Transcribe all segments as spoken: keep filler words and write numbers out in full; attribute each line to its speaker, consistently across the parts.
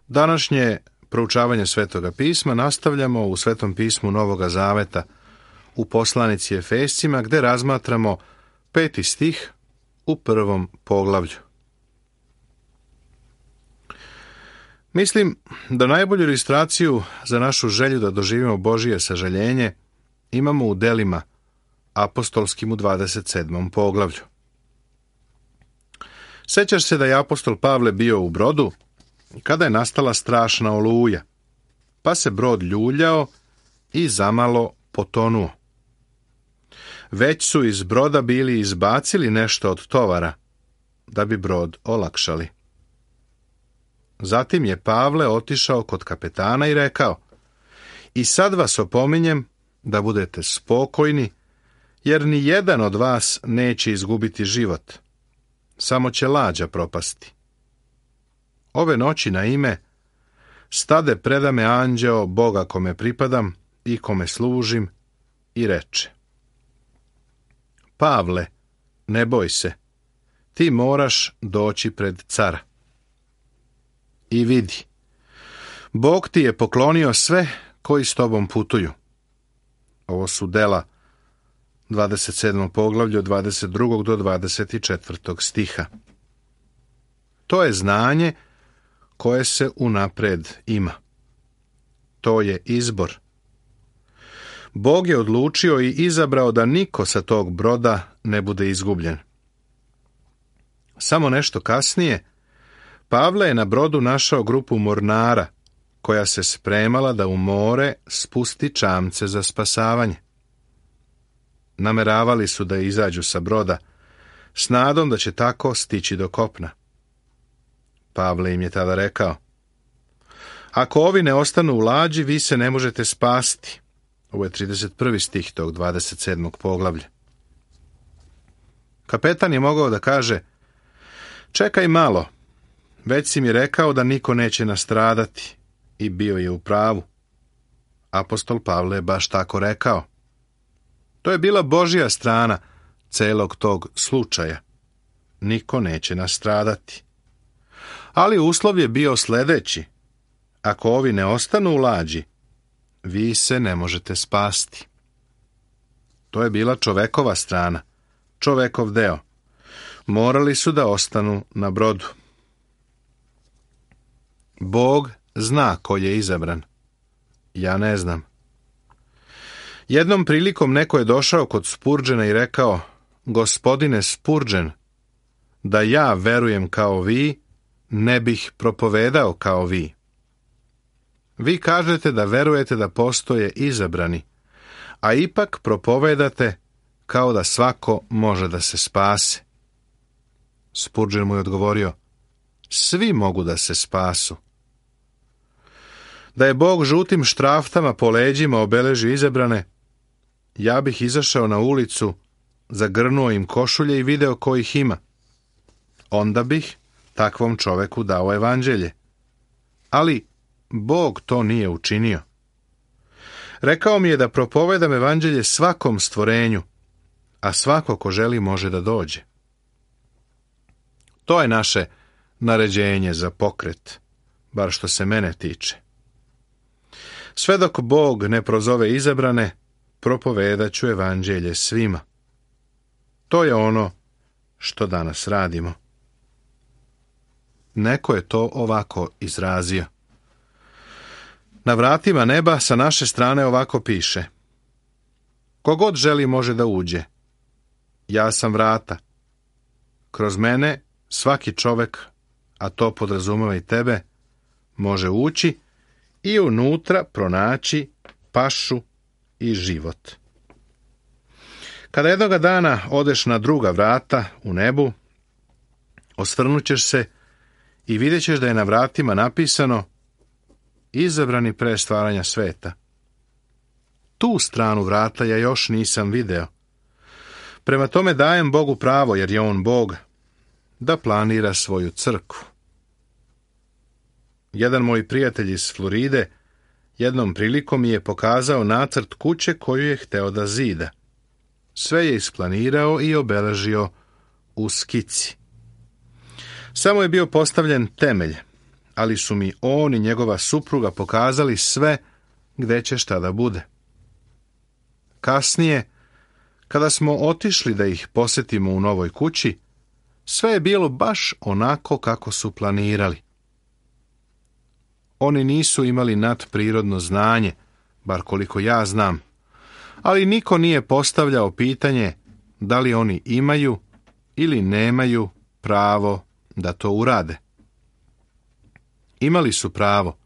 Speaker 1: Današnje proučavanje Svetoga pisma nastavljamo u Svetom pismu Novoga Zaveta u poslanici Efescima, gde razmatramo peti stih u prvom poglavlju. Mislim da najbolju ilustraciju za našu želju da doživimo Božije sažaljenje imamo u delima apostolskim u dvadeset sedmom poglavlju. Sećaš se da je apostol Pavle bio u brodu kada je nastala strašna oluja, pa se brod ljuljao i zamalo potonuo. Već su iz broda bili izbacili nešto od tovara, da bi brod olakšali. Zatim je Pavle otišao kod kapetana i rekao: I sad vas opominjem da budete spokojni, jer ni jedan od vas neće izgubiti život, samo će lađa propasti. Ove noći na ime stade preda me anđeo Boga kome pripadam i kome služim i reče: Pavle, ne boj se, ti moraš doći pred cara. I vidi, Bog ti je poklonio sve koji s tobom putuju. Ovo su dela dvadeset sedmom poglavlju od dvadeset drugog do dvadeset četvrtog stiha. To je znanje koje se unapred ima. To je izbor. Bog je odlučio i izabrao da niko sa tog broda ne bude izgubljen. Samo nešto kasnije Pavle je na brodu našao grupu mornara koja se spremala da u more spusti čamce za spasavanje. Nameravali su da izađu sa broda s nadom da će tako stići do kopna. Pavle im je tada rekao: Ako ovi ne ostanu u lađi, vi se ne možete spasti. Ovo je trideset prvi stih tog dvadeset sedmog poglavlja. Kapetan je mogao da kaže: Čekaj malo, već si mi rekao da niko neće nastradati, i bio je u pravu. Apostol Pavle je baš tako rekao. To je bila Božja strana celog tog slučaja. Niko neće nastradati. Ali uslov je bio sledeći: ako ovi ne ostanu u lađi, vi se ne možete spasti. To je bila čovekova strana, čovekov deo. Morali su da ostanu na brodu. Bog zna ko je izabran. Ja ne znam. Jednom prilikom neko je došao kod Spurđena i rekao: Gospodine Spurđen, da ja verujem kao vi, ne bih propovedao kao vi. Vi kažete da verujete da postoje izabrani, a ipak propovedate kao da svako može da se spase. Spurđen mu je odgovorio: Svi mogu da se spasu. Da je Bog žutim štraftama po leđima obeležio izabrane, ja bih izašao na ulicu, zagrnuo im košulje i video ko ih ima. Onda bih takvom čoveku dao evanđelje. Ali Bog to nije učinio. Rekao mi je da propovedam evanđelje svakom stvorenju, a svako ko želi može da dođe. To je naše naređenje za pokret, bar što se mene tiče. Sve dok Bog ne prozove izabrane, propovedat ću evanđelje svima. To je ono što danas radimo. Neko je to ovako izrazio. Na vratima neba sa naše strane ovako piše: Kogod želi može da uđe. Ja sam vrata. Kroz mene svaki čovek, a to podrazumeva i tebe, može ući i unutra pronaći pašu i život. Kada jednoga dana odeš na druga vrata u nebu, osvrnut ćeš se i vidjet ćeš da je na vratima napisano: Izabrani pre stvaranja sveta. Tu stranu vrata ja još nisam video. Prema tome dajem Bogu pravo, jer je on Bog, da planira svoju crkvu. Jedan moj prijatelj iz Floride jednom prilikom mi je pokazao nacrt kuće koju je hteo da zida. Sve je isplanirao i obeležio u skici. Samo je bio postavljen temelj, ali su mi on i njegova supruga pokazali sve gde će šta da bude. Kasnije, kada smo otišli da ih posetimo u novoj kući, sve je bilo baš onako kako su planirali. Oni nisu imali nadprirodno znanje, bar koliko ja znam, ali niko nije postavljao pitanje da li oni imaju ili nemaju pravo da to urade. Imali su pravo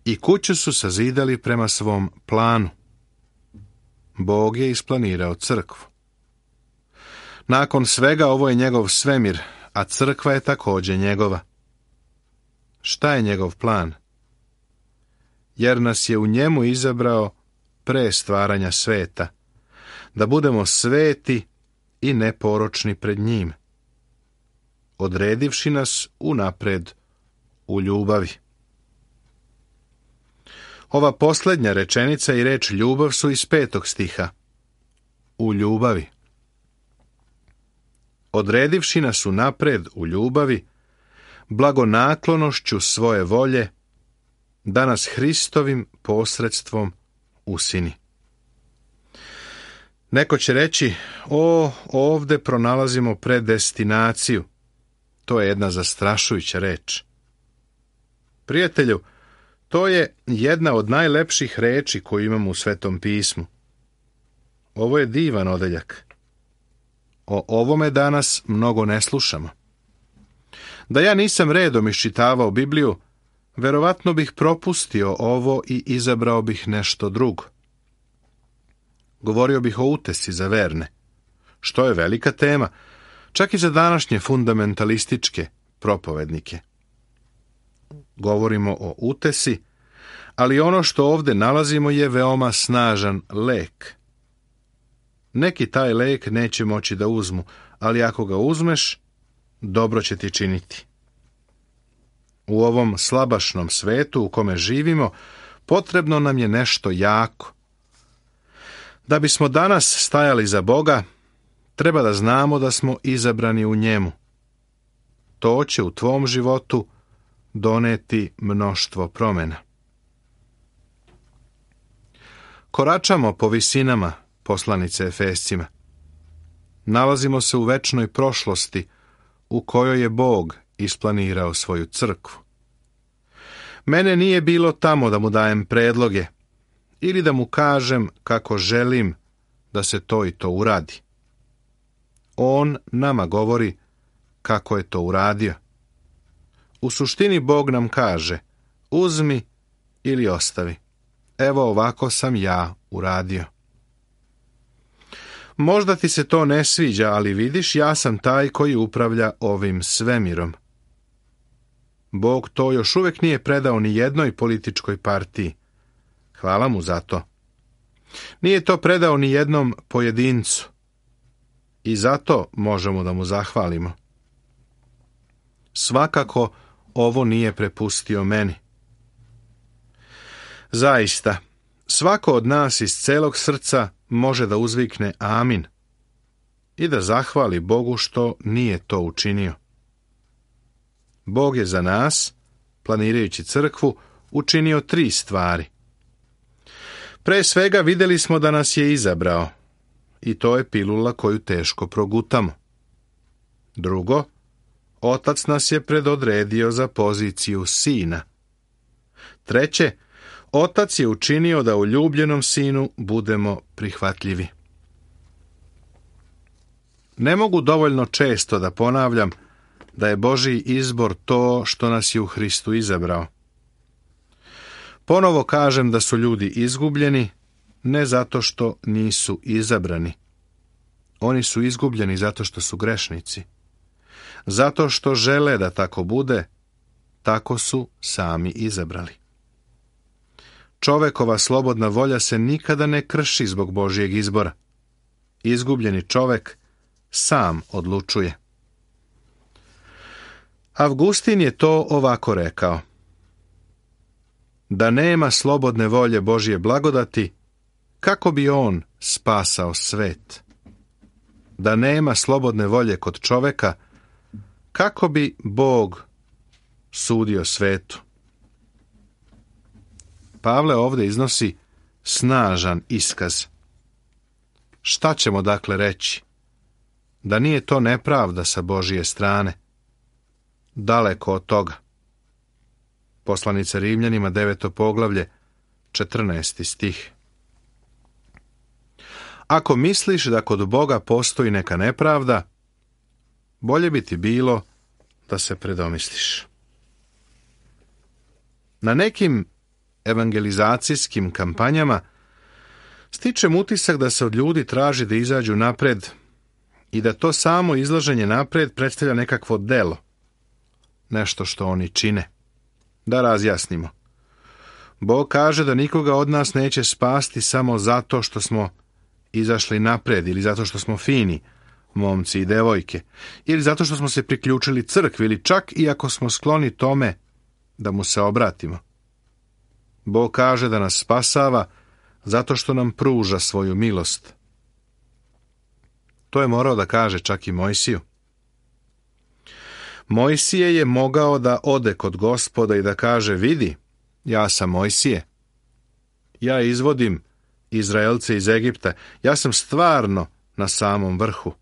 Speaker 1: i kuću su sazidali prema svom planu. Bog je isplanirao crkvu. Nakon svega ovo je njegov svemir, a crkva je također njegova. Šta je njegov plan? Jer nas je u njemu izabrao pre stvaranja sveta, da budemo sveti i neporočni pred njim, odredivši nas unapred u ljubavi. Ova posljednja rečenica i reč ljubav su iz petog stiha. U ljubavi. Odredivši nas unapred u ljubavi, blagonaklonošću svoje volje, da nas Hristovim posredstvom usini. Neko će reći, o, ovde pronalazimo predestinaciju. To je jedna zastrašujuća reč. Prijatelju, to je jedna od najlepših reči koju imamo u Svetom pismu. Ovo je divan odeljak. O ovome danas mnogo ne slušamo. Da ja nisam redom iščitavao Bibliju, verovatno bih propustio ovo i izabrao bih nešto drugo. Govorio bih o utesi za verne, što je velika tema, čak i za današnje fundamentalističke propovednike. Govorimo o utesi, ali ono što ovdje nalazimo je veoma snažan lek. Neki taj lek neće moći da uzmu, ali ako ga uzmeš, dobro će ti činiti. U ovom slabašnom svetu u kome živimo, potrebno nam je nešto jako. Da bismo danas stajali za Boga, treba da znamo da smo izabrani u njemu. To će u tvom životu doneti mnoštvo promjena. Koračamo po visinama poslanice Efescima. Nalazimo se u večnoj prošlosti u kojoj je Bog isplanirao svoju crkvu. Mene nije bilo tamo da mu dajem predloge ili da mu kažem kako želim da se to i to uradi. On nama govori kako je to uradio. U suštini Bog nam kaže, uzmi ili ostavi. Evo ovako sam ja uradio. Možda ti se to ne sviđa, ali vidiš, ja sam taj koji upravlja ovim svemirom. Bog to još uvijek nije predao ni jednoj političkoj partiji. Hvala mu za to. Nije to predao ni jednom pojedincu. I zato možemo da mu zahvalimo. Svakako ovo nije prepustio meni. Zaista, svako od nas iz celog srca može da uzvikne amin i da zahvali Bogu što nije to učinio. Bog je za nas, planirajući crkvu, učinio tri stvari. Pre svega vidjeli smo da nas je izabrao i to je pilula koju teško progutamo. Drugo, Otac nas je predodredio za poziciju sina. Treće, Otac je učinio da u ljubljenom sinu budemo prihvatljivi. Ne mogu dovoljno često da ponavljam da je Božji izbor to što nas je u Hristu izabrao. Ponovo kažem da su ljudi izgubljeni, ne zato što nisu izabrani. Oni su izgubljeni zato što su grešnici. Zato što žele da tako bude, tako su sami izabrali. Čovekova slobodna volja se nikada ne krši zbog Božjeg izbora. Izgubljeni čovek sam odlučuje. Avgustin je to ovako rekao. Da nema slobodne volje Božje blagodati, kako bi on spasao svet? Da nema slobodne volje kod čoveka, kako bi Bog sudio svetu. Pavle ovdje iznosi snažan iskaz. Šta ćemo dakle reći? Da nije to nepravda sa Božije strane? Daleko od toga. Poslanica Rimljanima, deveto poglavlje, četrnaesti stih. Ako misliš da kod Boga postoji neka nepravda, bolje bi ti bilo da se predomisliš. Na nekim evangelizacijskim kampanjama stičem utisak da se od ljudi traži da izađu napred i da to samo izlaženje napred predstavlja nekakvo delo, nešto što oni čine. Da razjasnimo. Bog kaže da nikoga od nas neće spasti samo zato što smo izašli napred ili zato što smo fini, momci i devojke, ili zato što smo se priključili crkvi ili čak i ako smo skloni tome da mu se obratimo. Bog kaže da nas spasava zato što nam pruža svoju milost. To je morao da kaže čak i Mojsiju. Mojsije je mogao da ode kod Gospoda i da kaže: vidi, ja sam Mojsije. Ja izvodim Izraelce iz Egipta. Ja sam stvarno na samom vrhu.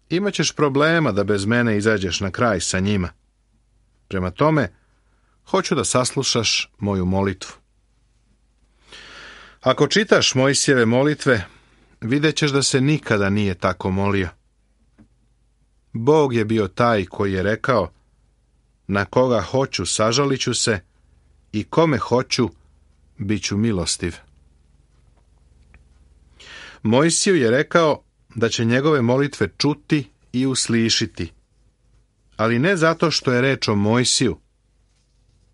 Speaker 1: Imaćeš problema da bez mene izađeš na kraj sa njima. Prema tome, hoću da saslušaš moju molitvu. Ako čitaš Mojsijeve molitve, vidjet ćeš da se nikada nije tako molio. Bog je bio taj koji je rekao: na koga hoću sažalit ću se i kome hoću bit ću milostiv. Mojsiju je rekao da će njegove molitve čuti i uslišiti, ali ne zato što je reč o Mojsiju,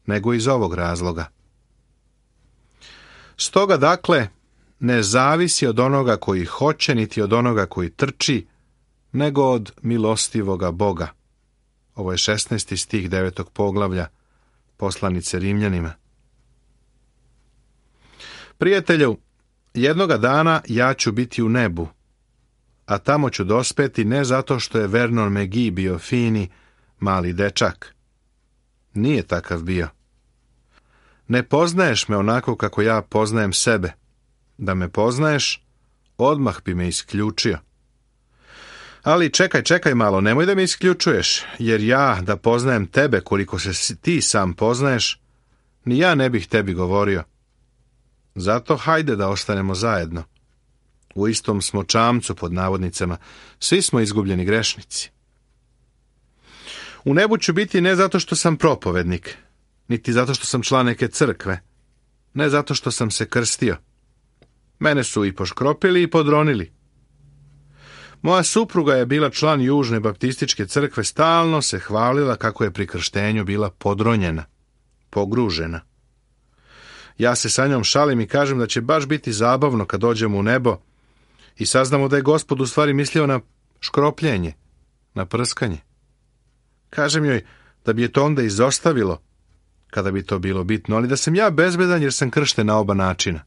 Speaker 1: nego iz ovog razloga. Stoga dakle, ne zavisi od onoga koji hoće, niti od onoga koji trči, nego od milostivoga Boga. Ovo je šesnaesti stih devetog poglavlja poslanice Rimljanima. Prijatelju, jednoga dana ja ću biti u nebu, a tamo ću dospeti ne zato što je Vernon McGee bio fini, mali dečak. Nije takav bio. Ne poznaješ me onako kako ja poznajem sebe. Da me poznaješ, odmah bi me isključio. Ali čekaj, čekaj malo, nemoj da me isključuješ, jer ja da poznajem tebe koliko se ti sam poznaješ, ni ja ne bih tebi govorio. Zato hajde da ostanemo zajedno. U istom smo čamcu, pod navodnicama, svi smo izgubljeni grešnici. U nebu ću biti ne zato što sam propovednik, niti zato što sam član neke crkve, ne zato što sam se krstio. Mene su i poškropili i podronili. Moja supruga je bila član Južne baptističke crkve, stalno se hvalila kako je pri krštenju bila podronjena, pogružena. Ja se sa njom šalim i kažem da će baš biti zabavno kad dođemo u nebo i saznamo da je Gospod u stvari mislio na škropljenje, na prskanje. Kažem joj da bi je to onda izostavilo, kada bi to bilo bitno, ali da sam ja bezbedan jer sam kršten na oba načina.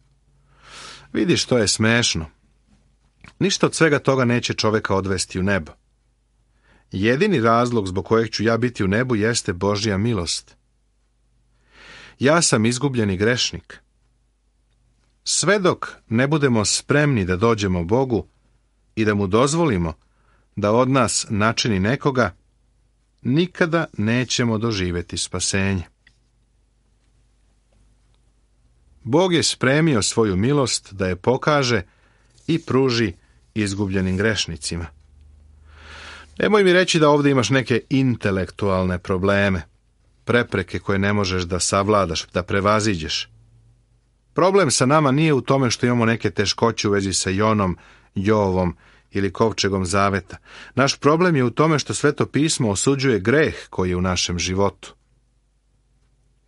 Speaker 1: Vidiš, to je smešno. Ništa od svega toga neće čoveka odvesti u nebo. Jedini razlog zbog kojeg ću ja biti u nebu jeste Božja milost. Ja sam izgubljeni grešnik. Sve dok ne budemo spremni da dođemo Bogu i da mu dozvolimo da od nas načini nekoga, nikada nećemo doživjeti spasenje. Bog je spremio svoju milost da je pokaže i pruži izgubljenim grešnicima. Nemoj mi reći da ovdje imaš neke intelektualne probleme, prepreke koje ne možeš da savladaš, da prevaziđeš. Problem sa nama nije u tome što imamo neke teškoće u vezi sa Jonom, Jovom ili kovčegom zaveta. Naš problem je u tome što Sveto pismo osuđuje greh koji je u našem životu.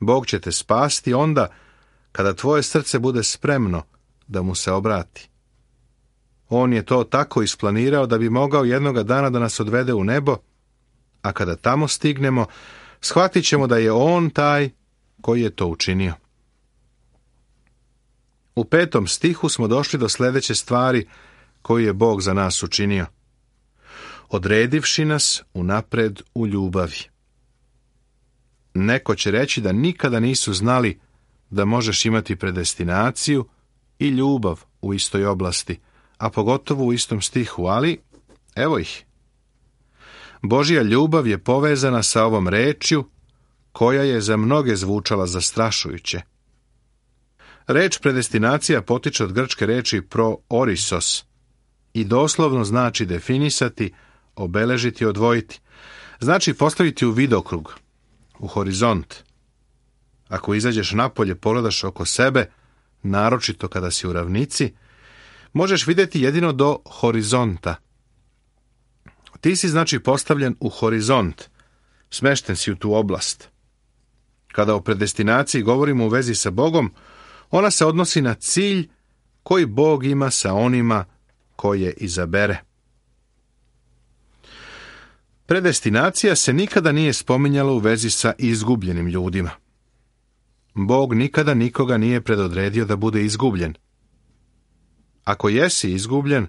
Speaker 1: Bog će te spasti onda kada tvoje srce bude spremno da mu se obrati. On je to tako isplanirao da bi mogao jednoga dana da nas odvede u nebo, a kada tamo stignemo, shvatit ćemo da je on taj koji je to učinio. U petom stihu smo došli do sljedeće stvari koju je Bog za nas učinio. Odredivši nas unapred u ljubavi. neko će reći da nikada nisu znali da možeš imati predestinaciju i ljubav u istoj oblasti, a pogotovo u istom stihu, ali evo ih. Božja ljubav je povezana sa ovom rečju koja je za mnoge zvučala zastrašujuće. Reč predestinacija potiče od grčke reči proorisos i doslovno znači definisati, obeležiti, odvojiti. Znači postaviti u vidokrug, u horizont. Ako izađeš napolje, pogledaš oko sebe, naročito kada si u ravnici, možeš vidjeti jedino do horizonta. Ti si znači postavljen u horizont, smešten si u tu oblast. Kada o predestinaciji govorimo u vezi sa Bogom, ona se odnosi na cilj koji Bog ima sa onima koje izabere. Predestinacija se nikada nije spominjala u vezi sa izgubljenim ljudima. Bog nikada nikoga nije predodredio da bude izgubljen. Ako jesi izgubljen,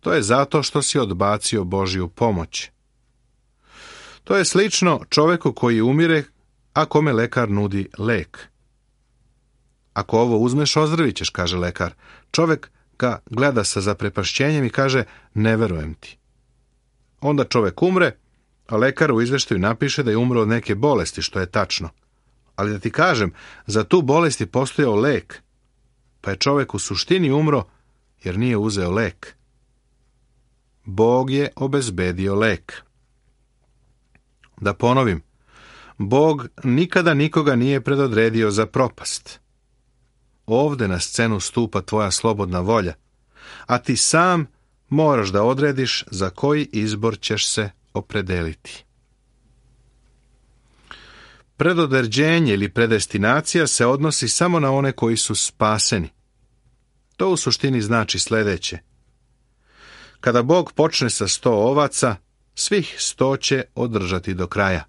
Speaker 1: to je zato što si odbacio Božju pomoć. To je slično čovjeku koji umire, a kome lekar nudi lek. Ako ovo uzmeš, ozdravit ćeš, kaže lekar. Čovjek ga gleda sa zaprepašćenjem i kaže, ne verujem ti. Onda čovjek umre, a lekar u izveštaju napiše da je umro od neke bolesti, što je tačno. Ali da ti kažem, za tu bolest je postojao lek, pa je čovjek u suštini umro jer nije uzeo lek. Bog je obezbedio lek. Da ponovim, Bog nikada nikoga nije predodredio za propast. Ovde na scenu stupa tvoja slobodna volja, a ti sam moraš da odrediš za koji izbor ćeš se opredeliti. Predodređenje ili predestinacija se odnosi samo na one koji su spaseni. To u suštini znači sljedeće. Kada Bog počne sa sto ovaca, svih sto će održati do kraja.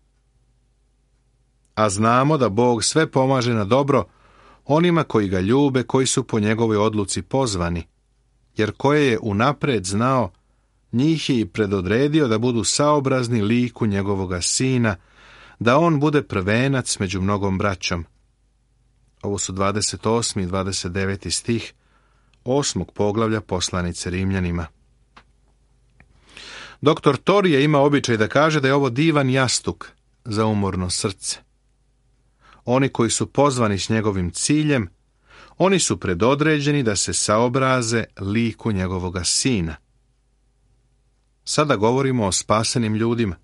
Speaker 1: A znamo da Bog sve pomaže na dobro onima koji ga ljube, koji su po njegovoj odluci pozvani, jer koje je unapred znao, njih je i predodredio da budu saobrazni liku njegovoga sina, da on bude prvenac među mnogom braćom. Ovo su dvadeset osmi i dvadeset deveti stih osmog poglavlja poslanice Rimljanima. Doktor Torije ima običaj da kaže da je ovo divan jastuk za umorno srce. Oni koji su pozvani s njegovim ciljem, oni su predodređeni da se saobraze liku njegovoga sina. Sada govorimo o spasenim ljudima.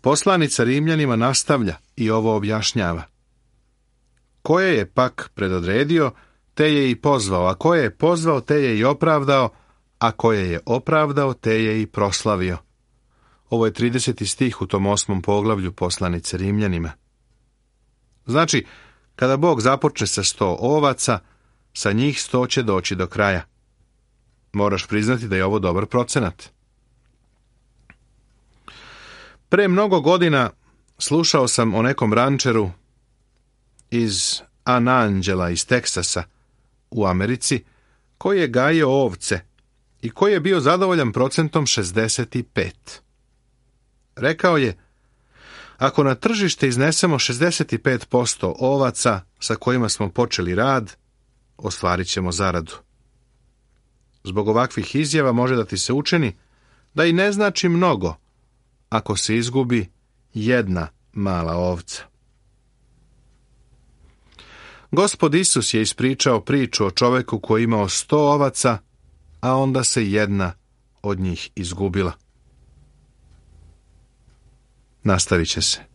Speaker 1: Poslanica Rimljanima nastavlja i ovo objašnjava. Koje je pak predodredio, te je i pozvao, a koje je pozvao, te je i opravdao, a koje je opravdao, te je i proslavio. Ovo je trideseti stih u tom osmom poglavlju poslanice Rimljanima. Znači, kada Bog započne sa sto ovaca, sa njih sto će doći do kraja. Moraš priznati da je ovo dobar procenat. Pre mnogo godina slušao sam o nekom rančeru iz Anangela iz Teksasa u Americi, koji je gajio ovce i koji je bio zadovoljan procentom šezdeset pet. Rekao je, ako na tržište iznesemo šezdeset pet posto ovaca sa kojima smo počeli rad, ostvarit ćemo zaradu. Zbog ovakvih izjava može da ti se učini da i ne znači mnogo ako se izgubi jedna mala ovca. Gospod Isus je ispričao priču o čoveku koji je imao sto ovaca, a onda se jedna od njih izgubila. Nastavit će se.